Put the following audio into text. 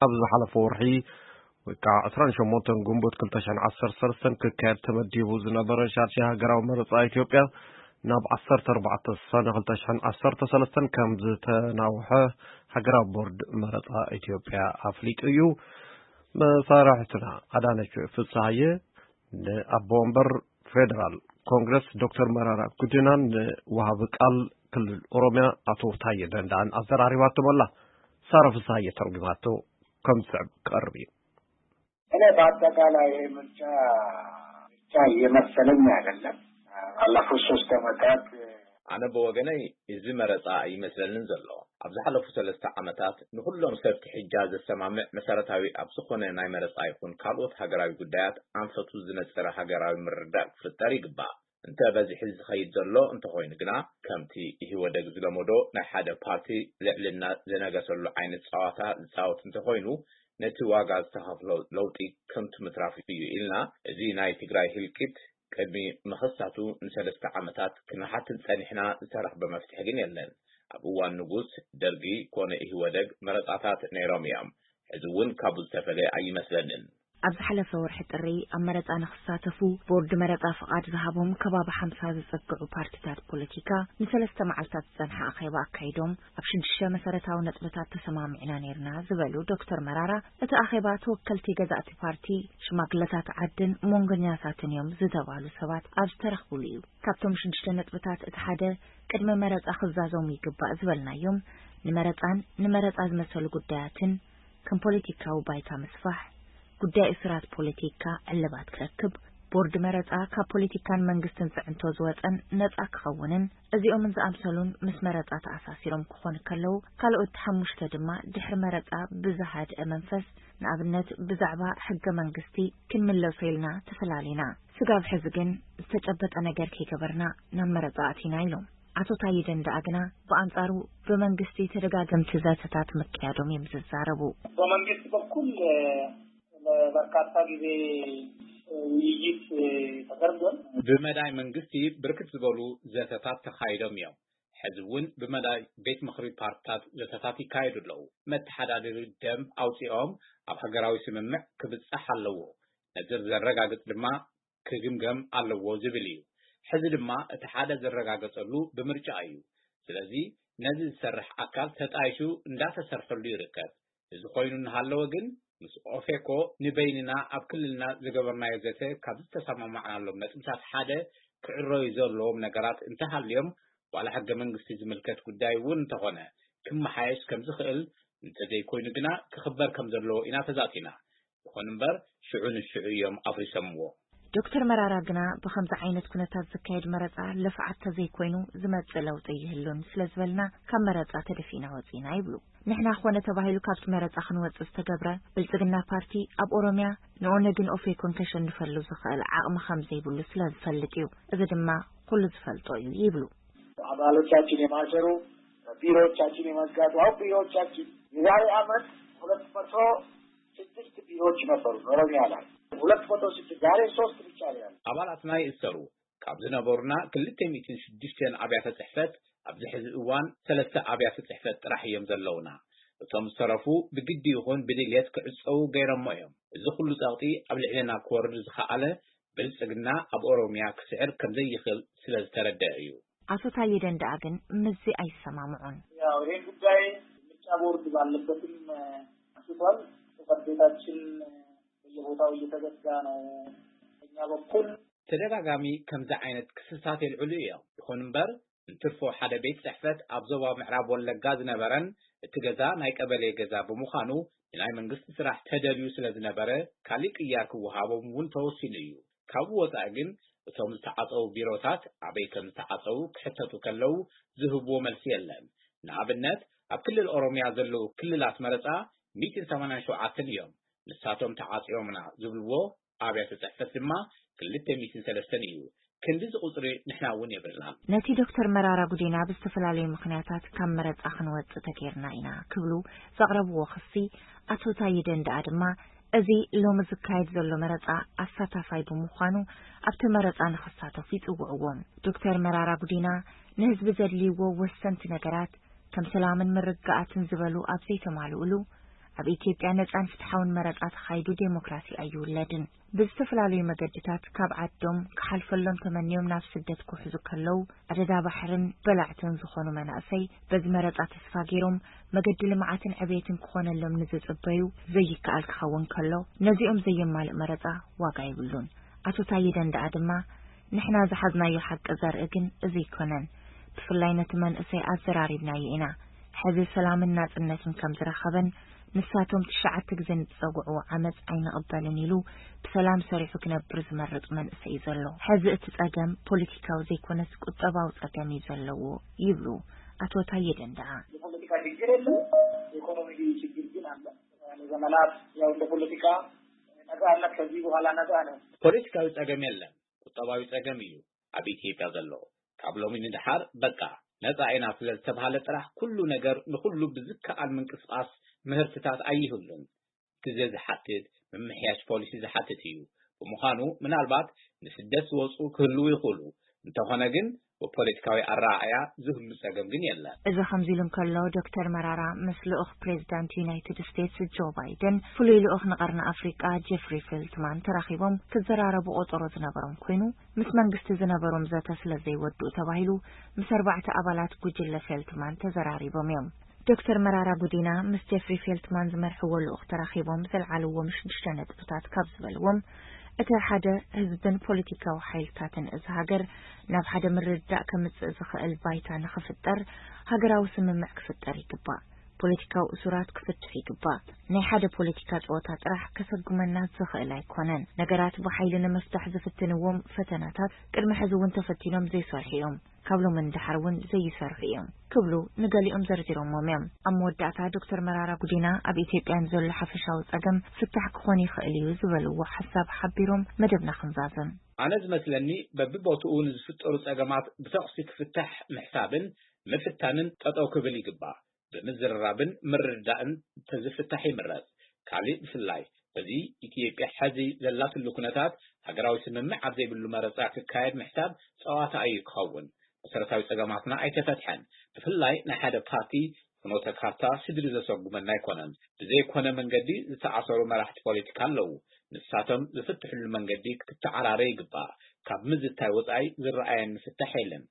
ኣብ ዝሓለፈ ወርሒ ወይ ከዓ ዕስራን ሸሞንተን ግንቦት ክልተ ሽሕን ዓሰርተ ሰለስተን ክካየድ ተመዲቡ ዝነበረ ሻድሻይ ሃገራዊ መረፃ ኢትዮጵያ ናብ ዓሰርተ ኣርባዕተ ሰነ ክልተ ሽሕን ዓሰርተ ሰለስተን ከም ዝተናውሐ ሃገራዊ ቦርድ መረፃ ኢትዮጵያ ኣፍሊጡ እዩ። መሳርሕትና ኣዳነች ፍስሃየ ንኣቦ ወንበር ፌደራል ኮንግረስ ዶክተር መራራ ጉዲናን ንወሃቢ ቃል ክልል ኦሮሚያ ኣቶ ታየ ደንዳን ኣዘራሪባቶም ኣላ። ሳራ ፍስሃየ ተርጉማቶ ከም ዝስዕብ ክቐርብ እዩ። እኔ በአጠቃላይ ይሄ ምርጫ ምርጫ እየመሰለኝ አይደለም። ባለፉት ሶስት ዓመታት ኣነ ብወገነይ እዚ መረፃ ኣይመስለንን ዘሎ። ኣብ ዝሓለፉ ሰለስተ ዓመታት ንኩሎም ሰብ ትሕጃ ዘሰማምዕ መሰረታዊ ኣብ ዝኾነ ናይ መረፃ ይኹን ካልኦት ሃገራዊ ጉዳያት ኣንፈቱ ዝነፀረ ሃገራዊ ምርድዳእ ክፍጠር ይግባእ። እንተ በዚሒ ዝኸይድ ዘሎ እንተኾይኑ ግና ከምቲ ኢህወደግ ዝለመዶ ናይ ሓደ ፓርቲ ልዕልና ዝነገሰሉ ዓይነት ፀዋታ ዝፃወት እንተኾይኑ ነቲ ዋጋ ዝተኸፍሎ ለውጢ ከምቲ ምትራፍ እዩ ኢልና እዚ ናይ ትግራይ ህልቂት ቅድሚ ምኽሳቱ ንሰለስተ ዓመታት ክንሓትት ጸኒሕና፣ ዝተረኽበ መፍትሒ ግን የለን። ኣብ እዋን ንጉስ ደርጊ ኮነ ኢህወደግ መረጻታት ነይሮም እዮም። ሕዚ እውን ካብኡ ዝተፈለየ ኣይመስለንን። ኣብ ዝሓለፈ ወርሒ ጥሪ ኣብ መረጻ ንኽሳተፉ ቦርድ መረጻ ፍቓድ ዝሃቦም ከባቢ ሓምሳ ዝጸግዑ ፓርቲታት ፖለቲካ ንሰለስተ መዓልታት ዝጸንሐ ኣኼባ ኣካይዶም ኣብ ሽዱሽተ መሰረታዊ ነጥብታት ተሰማሚዕና ነይርና ዝበሉ ዶክተር መራራ እቲ ኣኼባ ተወከልቲ ገዛእቲ ፓርቲ ሽማግለታት ዓድን መንጎኛታትን እዮም ዝተባሉ ሰባት ኣብ ዝተረኽብሉ እዩ። ካብቶም ሽዱሽተ ነጥብታት እቲ ሓደ ቅድሚ መረፃ ክዛዘሙ ይግባእ ዝበልናዮም ንመረፃን ንመረፃ ዝመሰሉ ጉዳያትን ከም ፖለቲካዊ ባይታ ምስፋሕ፣ ጉዳይ እሱራት ፖለቲካ ዕልባት ክረክብ፣ ቦርድ መረፃ ካብ ፖለቲካን መንግስትን ፅዕንቶ ዝወፀን ነፃ ክኸውንን እዚኦምን ዝኣምሰሉን ምስ መረፃ ተኣሳሲሮም ክኾኑ ከለዉ ካልኦት ሓሙሽተ ድማ ድሕሪ መረፃ ብዝሃድአ መንፈስ ንኣብነት ብዛዕባ ሕገ መንግስቲ ክንምለሶ ኢልና ተፈላሊና። ስጋብ ሕዚ ግን ዝተጨበጠ ነገር ከይገበርና ናብ መረፃ ኣቲና ኢሎም። ኣቶ ታየ ደንደኣ ግና ብኣንፃሩ ብመንግስቲ ተደጋገምቲ ዘተታት ምክያዶም እዮም ዝዛረቡ። በመንግስት በኩል ለበርካታ ጊዜ ውይይት ተደርጓል። ብመዳይ መንግስቲ ብርክት ዝበሉ ዘተታት ተኻይዶም እዮም። ሕዚ እውን ብመዳይ ቤት ምኽሪ ፓርትታት ዘተታት ይካየዱ ኣለዉ። መተሓዳደሪ ደንብ ኣውፂኦም ኣብ ሃገራዊ ስምምዕ ክብፃሕ ኣለዎ። ነዚ ዘረጋግፅ ድማ ክግምገም ኣለዎ ዝብል እዩ። ሕዚ ድማ እቲ ሓደ ዝረጋገፀሉ ብምርጫ እዩ። ስለዚ ነዚ ዝሰርሕ ኣካል ተጣይሹ እንዳተሰርሐሉ ይርከብ። እዚ ኮይኑ እናሃለወ ግን ምስ ኦፌኮ ንበይንና ኣብ ክልልና ዝገበርናዮ ዘተ ካብ ዝተሰማማዕናሎም ነጥብታት ሓደ ክዕረዩ ዘለዎም ነገራት እንተሃልዮም ዋላ ሕገ መንግስቲ ዝምልከት ጉዳይ እውን እንተኾነ ክመሓየሽ ከም ዝኽእል እንተዘይኮይኑ ግና ክኽበር ከም ዘለዎ ኢና ተዛቲና። ይኹን እምበር ሽዑ ንሽዑ እዮም ኣፍሪሶምዎ። ዶክተር መራራ ግና ብኸምዚ ዓይነት ኩነታት ዝካየድ መረፃ ልፍዓት ተዘይኮይኑ ዝመፅእ ለውጢ ኣይህሉን ስለዝበልና ካብ መረፃ ተደፊእና ወፂና ይብሉ። ንሕና ኾነ ተባሂሉ ካብቲ መረፃ ክንወፅእ ዝተገብረ ብልፅግና ፓርቲ ኣብ ኦሮሚያ ንኦነግን ኦፌኮን ከሸንፈሉ ዝኽእል ዓቕሚ ከም ዘይብሉ ስለዝፈልጥ እዩ። እዚ ድማ ኩሉ ዝፈልጦ እዩ ይብሉ። አባሎቻችን የማሰሩ ቢሮዎቻችን የመዝጋቱ አሁን ቢሮዎቻችን የዛሬ ዓመት ሁለት መቶ ስድስት ቢሮዎች ነበሩ ኦሮሚያ ላይ ሁለት መቶ ስድስት ዛሬ ሶስት ብቻ ነው ያለው። ኣባላትና ይእሰሩ ካብ ዝነበሩና ክልተ ሚእትን ሽዱሽተን ኣብያተ ፅሕፈት ኣብዚ ሕዚ እዋን ሰለስተ ኣብያተ ፅሕፈት ጥራሕ እዮም ዘለውና። እቶም ዝተረፉ ብግዲ ይኹን ብድልየት ክዕፀዉ ገይሮሞ እዮም። እዚ ኩሉ ፀቕጢ ኣብ ልዕልና ክወርድ ዝኸኣለ ብልፅግና ኣብ ኦሮሚያ ክስዕር ከምዘይኽእል ስለዝተረደአ እዩ። ኣቶ ታየ ደንደኣ ግን ምስዚ ኣይሰማምዑን። ያው ይሄን ጉዳይ ምርጫ ቦርድ ባለበትም አንስቷል። ጽሕፈት ቤታችን በየቦታው እየተዘጋ ነው። በእኛ በኩል ተደጋጋሚ ከምዚ ዓይነት ክስታት የልዕሉ እዮም። ይኹን እምበር እንትርፎ ሓደ ቤት ጽሕፈት ኣብ ዞባ ምዕራብ ወለጋ ዝነበረን እቲ ገዛ ናይ ቀበሌ ገዛ ብምዃኑ ንናይ መንግስቲ ስራሕ ተደልዩ ስለ ዝነበረ ካሊእ ቅያር ክወሃቦም እውን ተወሲኑ እዩ። ካብኡ ወፃኢ ግን እቶም ዝተዓፀዉ ቢሮታት ኣበይ ከም ዝተዓፀዉ ክሕተቱ ከለዉ ዝህብዎ መልሲ የለን። ንኣብነት ኣብ ክልል ኦሮሚያ ዘለዉ ክልላት መረፃ ሚእትን ሰማንያን ሸውዓተን እዮም። ንሳቶም ተዓፂዮምና ዝብልዎ ኣብያተ ፅሕፈት ድማ ክልተ ሚእትን ሰለስተን እዩ። ክንድዚ ቁፅሪ ንሕና እውን የብልናን። ነቲ ዶክተር መራራ ጉዲና ብዝተፈላለዩ ምኽንያታት ካብ መረፃ ክንወፅእ ተገይርና ኢና ክብሉ ዘቕረብዎ ክሲ ኣቶ ታየ ደንደኣ ድማ እዚ ሎሚ ዝካየድ ዘሎ መረፃ ኣሳታፋይ ብምዃኑ ኣብቲ መረፃ ንኽሳተፉ ይፅውዕዎም። ዶክተር መራራ ጉዲና ንህዝቢ ዘድልይዎ ወሰንቲ ነገራት ከም ሰላምን ምርግጋኣትን ዝበሉ ኣብ ዘይተማልኡሉ ኣብ ኢትዮጵያ ነጻን ፍትሓውን መረጻ ተኻይዱ ዴሞክራሲ ኣይውለድን። ብዝተፈላለዩ መገድታት ካብ ዓዶም ክሓልፈሎም ተመንዮም ናብ ስደት ክውሕዙ ከለዉ፣ ኣደዳ ባሕርን በላዕትን ዝኾኑ መናእሰይ በዚ መረጻ ተስፋ ገይሮም መገዲ ልምዓትን ዕቤትን ክኾነሎም ንዝጽበዩ ዘይከኣል ክኸውን ከሎ፣ ነዚኦም ዘየማልእ መረጻ ዋጋ የብሉን። ኣቶ ታየ ደንደኣ ድማ፣ ንሕና ዝሓዝናዮ ሓቂ ዘርኢ ግን እዚ ኣይኮነን። ብፍላይ ነቲ መንእሰይ ኣዘራሪብናዮ ኢና። ሕዚ ሰላምን ናጽነትን ከም ዝረኸበን ንሳቶም ትሽዓተ ግዜ ንዝጸግዕዎ ዓመጽ ኣይንቕበልን ኢሉ ብሰላም ሰሪሑ ክነብር ዝመርጽ መንእሰይ እዩ ዘሎ። ሕዚ እቲ ጸገም ፖለቲካዊ ዘይኮነስ ቁጠባዊ ጸገም እዩ ዘለዎ ይብሉ ኣቶ ታየ ደንደዓ። የፖለቲካ ችግር የለም፣ የኢኮኖሚ ችግር ግን አለ። ለዘመናት ያው እንደ ፖለቲካ ነጻነት ከዚህ በኋላ ነጻ ነው። ፖለቲካዊ ጸገም የለን፣ ቁጠባዊ ጸገም እዩ ኣብ ኢትዮጵያ ዘሎ። ካብ ሎሚ ንድሓር በቃ ነጻ ኢና ስለ ዝተባሃለ ጥራሕ ኩሉ ነገር ንኹሉ ብዝከኣል ምንቅስቃስ ምህርትታት ኣይህሉን። ግዜ ዝሓትት፣ ምምሕያሽ ፖሊሲ ዝሓትት እዩ። ብምዃኑ ምናልባት ንስደት ዝወፁ ክህልዉ ይኽእሉ፣ እንተኾነ ግን ብፖለቲካዊ ኣረኣእያ ዝህሉ ጸገም ግን የለን። እዚ ከምዚ ኢሉ እንከሎ፣ ዶክተር መራራ ምስ ልኡኽ ፕሬዚዳንት ዩናይትድ ስቴትስ ጆ ባይደን፣ ፍሉይ ልኡኽ ንቐርኒ ኣፍሪቃ ጀፍሪ ፌልትማን ተራኺቦም ክዘራረቡ ቆጸሮ ዝነበሮም ኮይኑ፣ ምስ መንግስቲ ዝነበሮም ዘተ ስለ ዘይወድኡ ተባሂሉ ምስ ኣርባዕተ ኣባላት ጉጅለ ፌልትማን ተዘራሪቦም እዮም። ዶክተር መራራ ጉዲና ምስ ጀፍሪ ፌልትማን ዝመርሕዎ ልኡኽ ተራኺቦም ዘልዓልዎም ሽዱሽተ ነጥብታት ካብ ዝበልዎም፣ እቲ ሓደ ህዝብን ፖለቲካዊ ሓይልታትን እዚ ሃገር ናብ ሓደ ምርድዳእ ከምጽእ ዝኽእል ባይታ ንኽፍጠር ሃገራዊ ስምምዕ ክፍጠር ይግባእ። ፖለቲካዊ እሱራት ክፍትሑ ይግባእ። ናይ ሓደ ፖለቲካ ጸወታ ጥራሕ ከሰጉመና ዝኽእል ኣይኮነን። ነገራት ብሓይሊ ንምፍታሕ ዝፍትንዎም ፈተናታት ቅድሚ ሕዚ እውን ተፈቲኖም ዘይሰርሑ እዮም። ካብ ሎሚ ንድሓር እውን ዘይሰርሑ እዮም ክብሉ ንገሊኦም ዘርዚሮሞም እዮም። ኣብ መወዳእታ ዶክተር መራራ ጉዲና ኣብ ኢትዮጵያ ንዘሎ ሓፈሻዊ ጸገም ፍታሕ ክኾን ይኽእል እዩ ዝበልዎ ሓሳብ ሓቢሮም መደብና ክንዛዝም። ኣነ ዝመስለኒ በብቦትኡ ንዝፍጠሩ ጸገማት ብተኹሲ ክፍታሕ ምሕሳብን ምፍታንን ጠጠው ክብል ይግባእ። ብምዝርራብን ምርድዳእን ተዝፍታሕ ይምረጽ። ካሊእ ብፍላይ በዚ ኢትዮጵያ ሐዚ ዘላትሉ ኩነታት ሃገራዊ ስምምዕ ኣብ ዘይብሉ መረጻ ክካየድ ምሕሳብ ጸዋታ እዩ ክኸውን። መሰረታዊ ጸገማትና ኣይተፈትሐን። ብፍላይ ናይ ሓደ ፓርቲ ፍኖተ ካርታ ስድሪ ዘሰጉመና ኣይኮነን። ብዘይኮነ መንገዲ ዝተኣሰሩ መራሕቲ ፖለቲካ ኣለዉ። ንሳቶም ዝፍትሕሉ መንገዲ ክትተዓራረ ይግባእ። ካብ ምዝታይ ወጻኢ ዝረኣየኒ ፍታሕ የለን።